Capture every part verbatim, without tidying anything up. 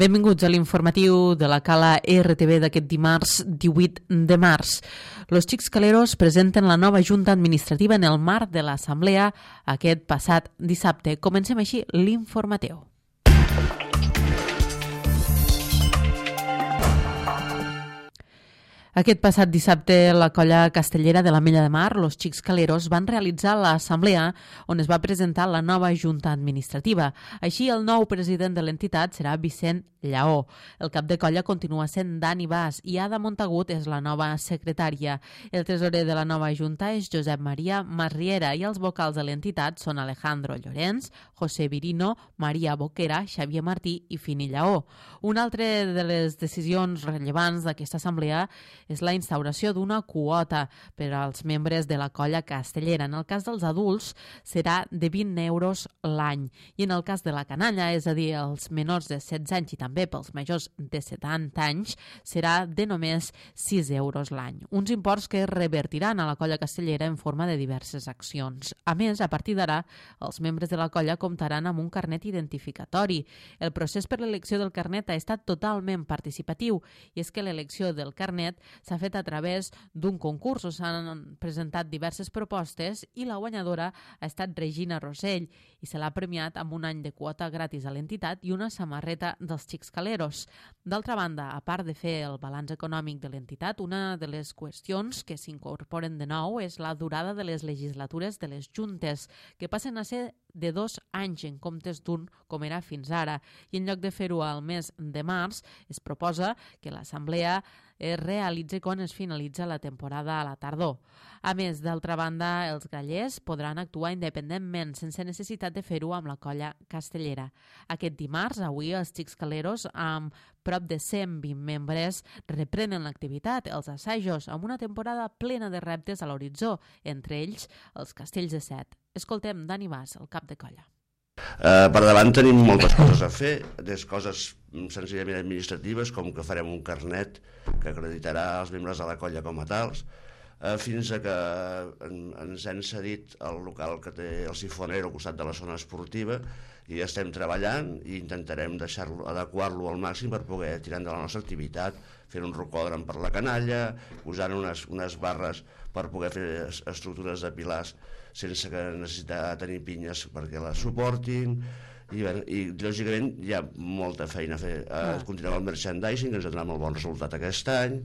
Benvinguts a l'informatiu de la Cala R T V d'aquest dimarts divuit de març. Los Xics Caleros presenten la nova Junta Administrativa en el marc de l'Assemblea aquest passat dissabte. Comencem així l'informatiu. Aquest passat dissabte, la colla castellera de l'Ametlla de Mar, los Xics Caleros, van realitzar l'assemblea on es va presentar la nova Junta Administrativa. Així, el nou president de l'entitat serà Vicent Lleó. El cap de colla continua sent Dani Bas i Ada Montagut és la nova secretària. El tresorer de la nova Junta és Josep Maria Masriera i els vocals de l'entitat són Alejandro Llorenç, José Virino, Maria Boquera, Xavier Martí i Fini Lleó. Una altra de les decisions rellevants d'aquesta assemblea és la instauració d'una quota per als membres de la colla castellera. En el cas dels adults serà de vint euros l'any i en el cas de la canalla, és a dir, els menors de setze anys i també pels majors de setanta anys, serà de només sis euros l'any. Uns imports que revertiran a la colla castellera en forma de diverses accions. A més, a partir d'ara, els membres de la colla comptaran amb un carnet identificatori. El procés per l'elecció del carnet ha estat totalment participatiu i és que l'elecció del carnet s'ha fet a través d'un concurs. S'han presentat diverses propostes i la guanyadora ha estat Regina Rosell i se l'ha premiat amb un any de quota gratis a l'entitat i una samarreta dels Xics Caleros. D'altra banda, a part de fer el balanç econòmic de l'entitat, una de les qüestions que s'incorporen de nou és la durada de les legislatures de les juntes, que passen a ser de dos anys en comptes d'un, com era fins ara. I en lloc de fer-ho al mes de març, es proposa que l'assemblea es realitzi quan es finalitza la temporada a la tardor. A més, d'altra banda, els grallers podran actuar independentment, sense necessitat de fer-ho amb la colla castellera. Aquest dimarts, avui, els Xics Caleros, amb prop de cent vint membres, reprenen l'activitat, els assajos, amb una temporada plena de reptes a l'horitzó, entre ells els castells de set. Escoltem Dani Bas, el cap de colla. Uh, per davant tenim moltes coses a fer, des coses senzillament administratives, com que farem un carnet que acreditarà els membres de la colla com a tals, uh, fins a que en, ens han cedit el local que té el Sifonero al costat de la zona esportiva i estem treballant i intentarem deixar-lo, adequar-lo al màxim per poder tirar endavant la nostra activitat, fent un rocòdrom per la canalla, posant unes, unes barres per poder fer estructures de pilars sense que necessitar tenir pinyes perquè les suportin i, bé, i lògicament hi ha molta feina a fer. Eh, continuem el merchandising, que ens ha donat molt bon resultat aquest any,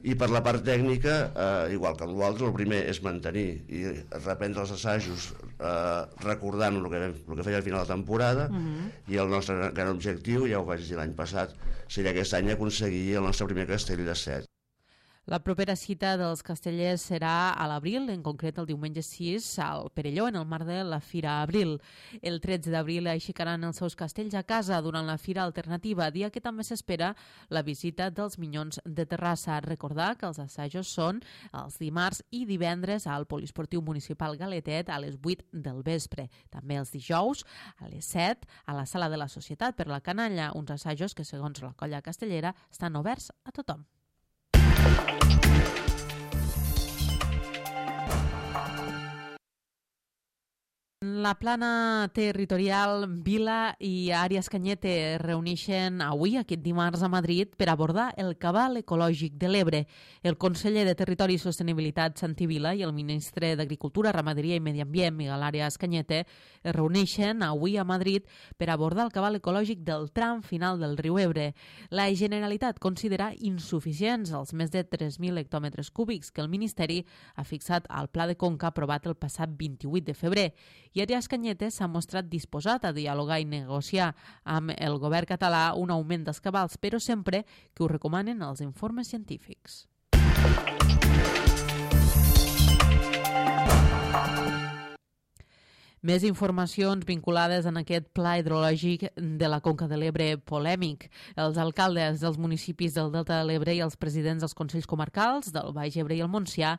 i per la part tècnica, eh, igual que amb l'altre, el primer és mantenir i reprendre els assajos eh, recordant el que, el que feia al final de la temporada, uh-huh. I el nostre gran objectiu, ja ho vaig dir l'any passat, seria aquest any aconseguir el nostre primer castell de set. La propera cita dels castellers serà a l'abril, en concret el diumenge sis, al Perelló, en el marc de la Fira Abril. El tretze d'abril aixecaran els seus castells a casa durant la Fira Alternativa, dia que també s'espera la visita dels Minyons de Terrassa. Recordar que els assajos són els dimarts i divendres al Poliesportiu Municipal Galetet a les vuit del vespre. També els dijous a les set a la Sala de la Societat per la Canalla, uns assajos que, segons la colla castellera, estan oberts a tothom. La plana territorial, Vila i Àrees Canyete es reuneixen avui, aquest dimarts, a Madrid per abordar el cabal ecològic de l'Ebre. El conseller de Territori i Sostenibilitat, Santi Vila, i el ministre d'Agricultura, Ramaderia i Medi Ambient, Miguel Àrees Canyete, es reuneixen avui a Madrid per abordar el cabal ecològic del tram final del riu Ebre. La Generalitat considera insuficients els més de tres mil hectòmetres cúbics que el Ministeri ha fixat al Pla de Conca aprovat el passat vint-i-vuit de febrer. I Àrees Canyete s'ha mostrat disposat a dialogar i negociar amb el govern català un augment dels cabals, però sempre que ho recomanen els informes científics. Més informacions vinculades en aquest pla hidrològic de la Conca de l'Ebre polèmic. Els alcaldes dels municipis del Delta de l'Ebre i els presidents dels Consells Comarcals del Baix Ebre i el Montsià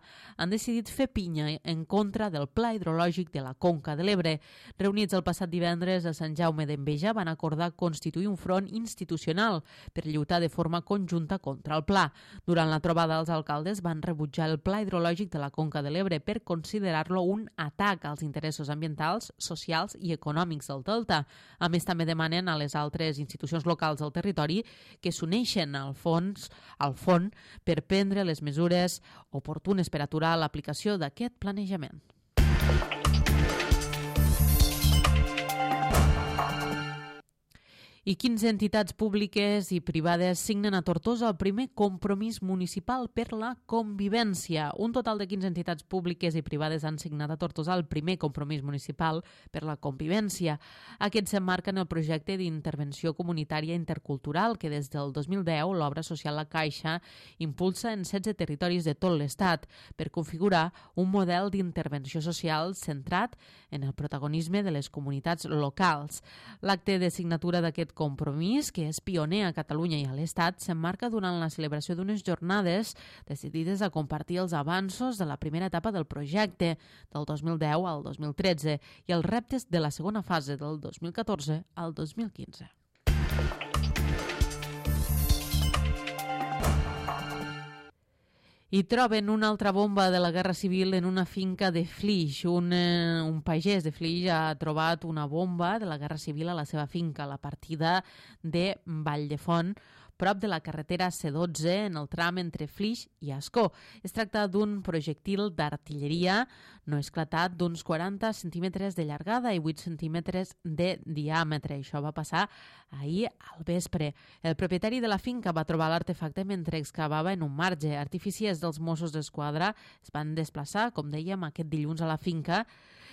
han decidit fer pinya en contra del pla hidrològic de la Conca de l'Ebre. Reunits el passat divendres a Sant Jaume d'Enveja van acordar constituir un front institucional per lluitar de forma conjunta contra el pla. Durant la trobada, els alcaldes van rebutjar el pla hidrològic de la Conca de l'Ebre per considerar-lo un atac als interessos ambientals culturals, socials i econòmics del Delta. A més, també demanen a les altres institucions locals del territori que s'uneixen al fons, al fons per prendre les mesures oportunes per aturar l'aplicació d'aquest planejament. I quinze entitats públiques i privades signen a Tortosa el primer compromís municipal per la convivència. Un total de quinze entitats públiques i privades han signat a Tortosa el primer compromís municipal per la convivència. Aquest s'emmarca en el projecte d'intervenció comunitària intercultural que des del dos mil deu l'obra social La Caixa impulsa en setze territoris de tot l'Estat per configurar un model d'intervenció social centrat en el protagonisme de les comunitats locals. L'acte de signatura d'aquest compromís, que és pioner a Catalunya i a l'Estat, s'emmarca durant la celebració d'unes jornades decidides a compartir els avanços de la primera etapa del projecte, del dos mil deu al dos mil tretze, i els reptes de la segona fase, del dos mil catorze al dos mil quinze. I troben una altra bomba de la Guerra Civil en una finca de Flix. Un, eh, un pagès de Flix ha trobat una bomba de la Guerra Civil a la seva finca, a la partida de Valldefont, prop de la carretera C dotze, en el tram entre Flix i Ascó. Es tracta d'un projectil d'artilleria no esclatat d'uns quaranta centímetres de llargada i vuit centímetres de diàmetre. Això va passar ahir al vespre. El propietari de la finca va trobar l'artefacte mentre excavava en un marge. Artificiers dels Mossos d'Esquadra es van desplaçar, com dèiem, aquest dilluns a la finca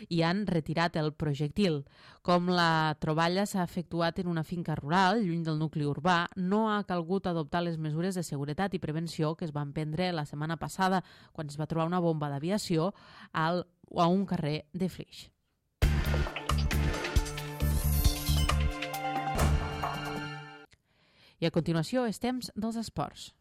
i han retirat el projectil. Com la troballa s'ha efectuat en una finca rural, lluny del nucli urbà, no ha calgut adoptar les mesures de seguretat i prevenció que es van prendre la setmana passada, quan es va trobar una bomba d'aviació al, a un carrer de Flix. I a continuació és temps dels esports.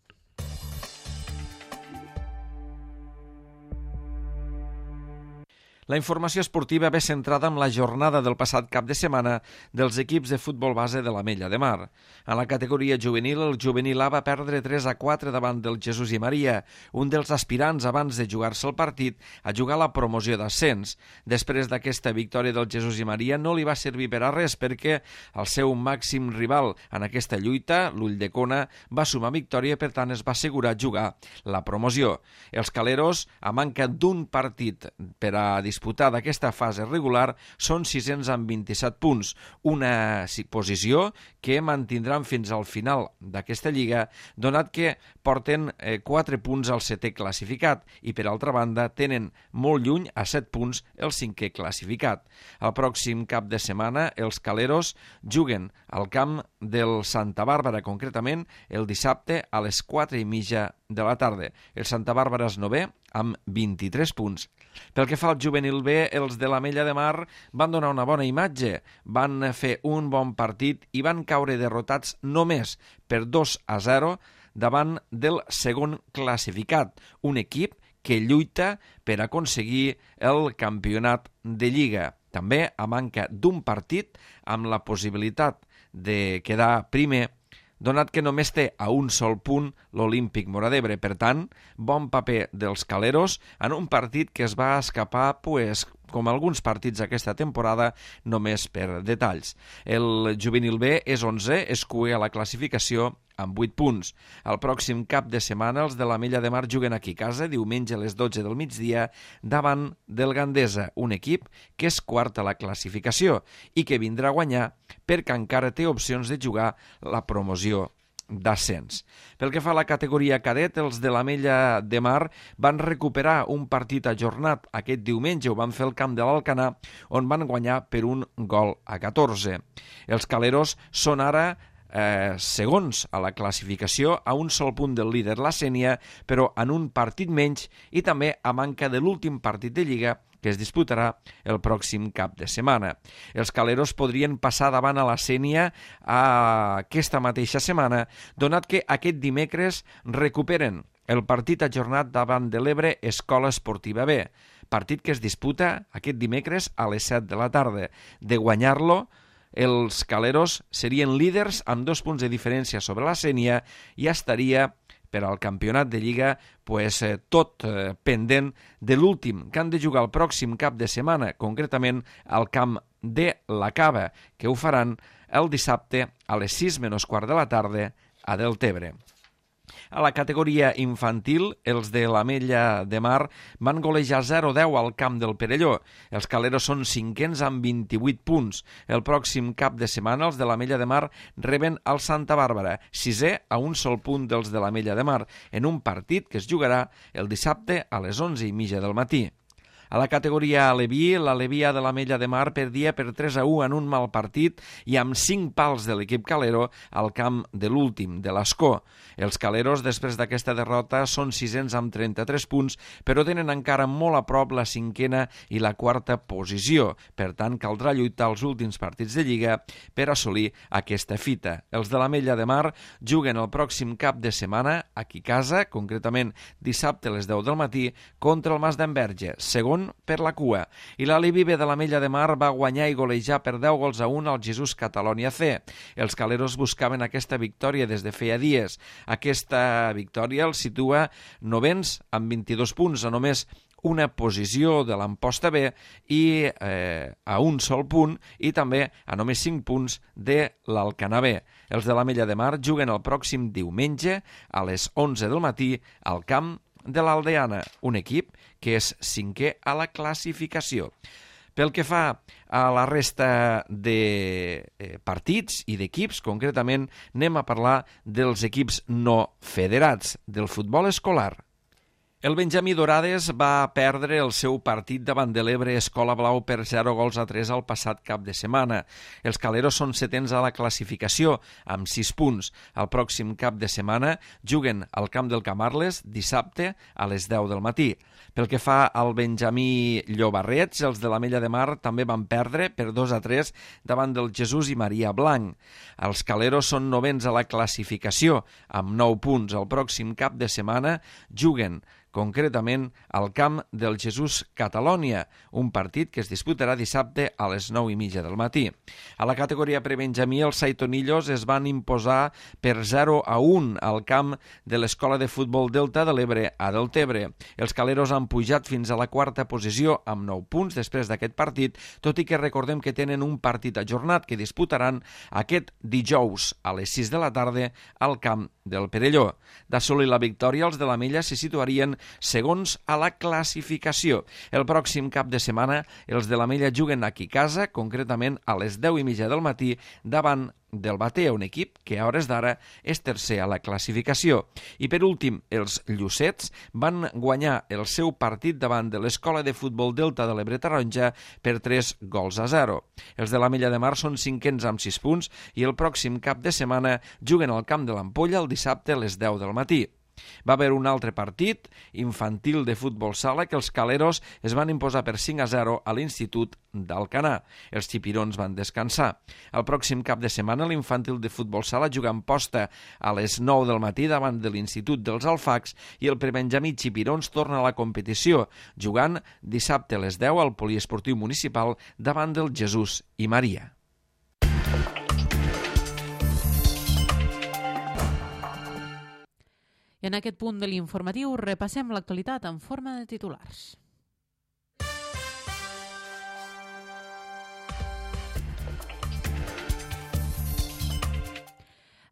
La informació esportiva ve centrada en la jornada del passat cap de setmana dels equips de futbol base de l'Ametlla de Mar. En la categoria juvenil, el juvenil A va perdre tres a quatre davant del Jesús i Maria, un dels aspirants abans de jugar-se el partit a jugar la promoció d'ascens. Després d'aquesta victòria del Jesús i Maria no li va servir per a res perquè el seu màxim rival en aquesta lluita, l'Ulldecona, va sumar victòria i per tant es va assegurar jugar la promoció. Els caleros, a manca d'un partit per a disputar d'aquesta fase regular, són sis-cents amb vint-i-set punts, una posició que mantindran fins al final d'aquesta lliga, donat que porten eh, quatre punts al setè classificat i, per altra banda, tenen molt lluny a set punts el cinquè classificat. El pròxim cap de setmana, els caleros juguen al camp del Santa Bàrbara, concretament el dissabte a les quatre i mitja de la tarda. El Santa Bàrbara és novè amb vint-i-tres punts. Pel que fa al juvenil B, els de l'Ametlla de Mar van donar una bona imatge, van fer un bon partit i van caure derrotats només per dos a zero davant del segon classificat, un equip que lluita per aconseguir el campionat de Lliga. També a manca d'un partit amb la possibilitat de quedar primer, donat que només té a un sol punt l'Olímpic Móra d'Ebre. Per tant, bon paper dels caleros en un partit que es va escapar, pues, com alguns partits aquesta temporada, només per detalls. El juvenil B és onzè, és cuer a la classificació amb vuit punts. El pròxim cap de setmana els de l'Ametlla de Mar juguen aquí a casa, diumenge a les dotze del migdia, davant del Gandesa, un equip que és quart a la classificació i que vindrà a guanyar perquè encara té opcions de jugar la promoció d'ascens. Pel que fa a la categoria cadet, els de l'Ametlla de Mar van recuperar un partit ajornat aquest diumenge, ho van fer al camp de l'Alcanar, on van guanyar per un gol a catorze. Els caleros són ara eh, segons a la classificació, a un sol punt del líder la Sénia, però en un partit menys i també a manca de l'últim partit de Lliga que es disputarà el pròxim cap de setmana. Els caleros podrien passar davant a la Sénia aquesta mateixa setmana, donat que aquest dimecres recuperen el partit ajornat davant de l'Ebre Escola Esportiva B, partit que es disputa aquest dimecres a les set de la tarda. De guanyar-lo, els caleros serien líders amb dos punts de diferència sobre la Sénia i estaria per al campionat de Lliga, pues, eh, tot eh, pendent de l'últim, que han de jugar el pròxim cap de setmana, concretament al camp de la Cava, que ho faran el dissabte a les sis menys quart de la tarda a Deltebre. A la categoria infantil, els de l'Ametlla de Mar van golejar zero a deu al camp del Perelló. Els caleros són cinquens amb vint-i-vuit punts. El pròxim cap de setmana els de l'Ametlla de Mar reben el Santa Bàrbara, sisè a un sol punt dels de l'Ametlla de Mar, en un partit que es jugarà el dissabte a les onze i mitja del matí. A la categoria Aleví, l'Alevia de l'Ametlla de Mar perdia per tres a u en un mal partit i amb cinc pals de l'equip calero al camp de l'últim, de l'Escó. Els caleros, després d'aquesta derrota, són sisens amb trenta-tres punts, però tenen encara molt a prop la cinquena i la quarta posició. Per tant, caldrà lluitar els últims partits de Lliga per assolir aquesta fita. Els de l'Ametlla de Mar juguen el pròxim cap de setmana aquí a casa, concretament dissabte a les deu del matí, contra el Mas d'Enverge, segon per la cua, i l'Aleví B de l'Ametlla de Mar va guanyar i golejar per deu gols a un al Jesús Catalonia C. Els caleros buscaven aquesta victòria des de feia dies. Aquesta victòria els situa novens amb vint-i-dos punts, a només una posició de l'Amposta B i eh, a un sol punt, i també a només cinc punts de l'Alcanar B. Els de l'Ametlla de Mar juguen el pròxim diumenge a les onze del matí al camp de l'Aldeana, un equip que és cinquè a la classificació. Pel que fa a la resta de partits i d'equips, concretament anem a parlar dels equips no federats, del futbol escolar. El Benjamí Dorades va perdre el seu partit davant de l'Ebre Escola Blau per zero gols a tres el passat cap de setmana. Els caleros són setens a la classificació, amb sis punts. El pròxim cap de setmana juguen al camp del Camarles dissabte a les deu del matí. Pel que fa al Benjamí Llobarrets, els de l'Ametlla de Mar també van perdre per dos a tres davant del Jesús i Maria Blanc. Els caleros són novens a la classificació, amb nou punts. El pròxim cap de setmana juguen concretament al camp del Jesús Catalonia, un partit que es disputarà dissabte a les nou i mitja del matí. A la categoria prebenjamí, els Saitonillos es van imposar per zero a un al camp de l'Escola de Futbol Delta de l'Ebre a Deltebre. Els caleros han pujat fins a la quarta posició amb nou punts després d'aquest partit, tot i que recordem que tenen un partit ajornat que disputaran aquest dijous a les sis de la tarda al camp del Perelló. D'assolir la victòria, els de l'Ametlla se situarien segons a la classificació. El pròxim cap de setmana els de l'Ametlla juguen aquí a casa, concretament a les deu i mitja del matí davant del Batea, un equip que a hores d'ara és tercer a la classificació. I per últim, els Llucets van guanyar el seu partit davant de l'Escola de Futbol Delta de l'Ebre Taronja per tres gols a zero. Els de l'Ametlla de Mar són cinquens amb sis punts i el pròxim cap de setmana juguen al camp de l'Ampolla el dissabte a les deu del matí. Va haver un altre partit infantil de futbol sala que els caleros es van imposar per cinc a zero a l'Institut d'Alcanar. Els xipirons van descansar. El pròxim cap de setmana l'infantil de futbol sala juga en posta a les nou del matí davant de l'Institut dels Alfacs i el prebenjamí xipirons torna a la competició, jugant dissabte a les deu al poliesportiu municipal davant del Jesús i Maria. I en aquest punt de l'informatiu repassem l'actualitat en forma de titulars.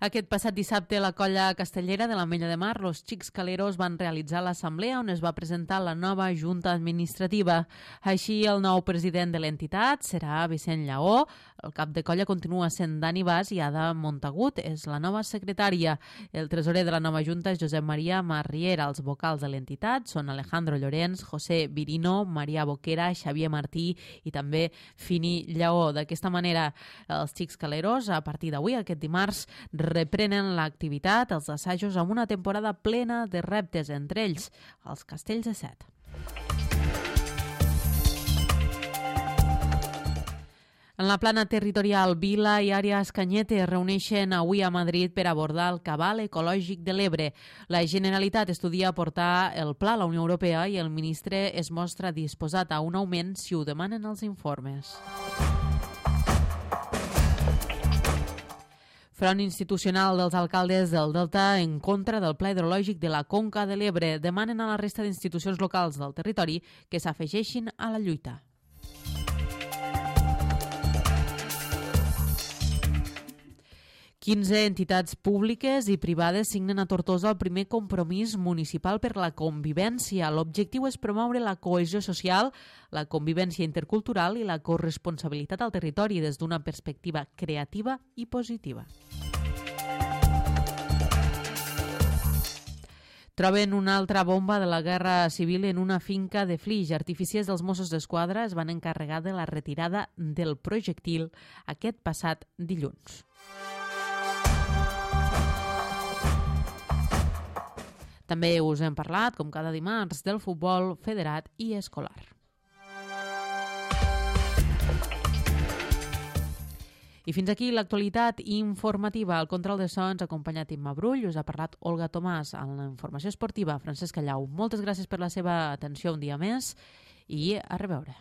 Aquest passat dissabte, la colla castellera de l'Ametlla de Mar, los Xics Caleros, van realitzar l'assemblea on es va presentar la nova junta administrativa. Així, el nou president de l'entitat serà Vicent Lleó, el cap de colla continua sent Dani Bas i Ada Montagut és la nova secretària. El tresorer de la nova junta és Josep Maria Marriera. Els vocals de l'entitat són Alejandro Llorenç, José Virino, Maria Boquera, Xavier Martí i també Fini Lleó. D'aquesta manera, els Xics Caleros, a partir d'avui, aquest dimarts, reprenen l'activitat, els assajos, amb una temporada plena de reptes, entre ells els castells de set. En la plana territorial, Vila i Àrea Escanyete es reuneixen avui a Madrid per abordar el cabal ecològic de l'Ebre. La Generalitat estudia portar el pla a la Unió Europea i el ministre es mostra disposat a un augment si ho demanen els informes. Front institucional dels alcaldes del Delta en contra del Pla Hidrològic de la Conca de l'Ebre demanen a la resta d'institucions locals del territori que s'afegeixin a la lluita. quinze entitats públiques i privades signen a Tortosa el primer compromís municipal per la convivència. L'objectiu és promoure la cohesió social, la convivència intercultural i la corresponsabilitat al territori des d'una perspectiva creativa i positiva. Troben una altra bomba de la guerra civil en una finca de Flix. Artificiers dels Mossos d'Esquadra es van encarregar de la retirada del projectil aquest passat dilluns. També us hem parlat, com cada dimarts, del futbol federat i escolar. I fins aquí l'actualitat informativa. Al control de so ens ha acompanyat Imma Brull, us ha parlat Olga Tomàs, en la informació esportiva Francesc Callau. Moltes gràcies per la seva atenció un dia més i a reveure.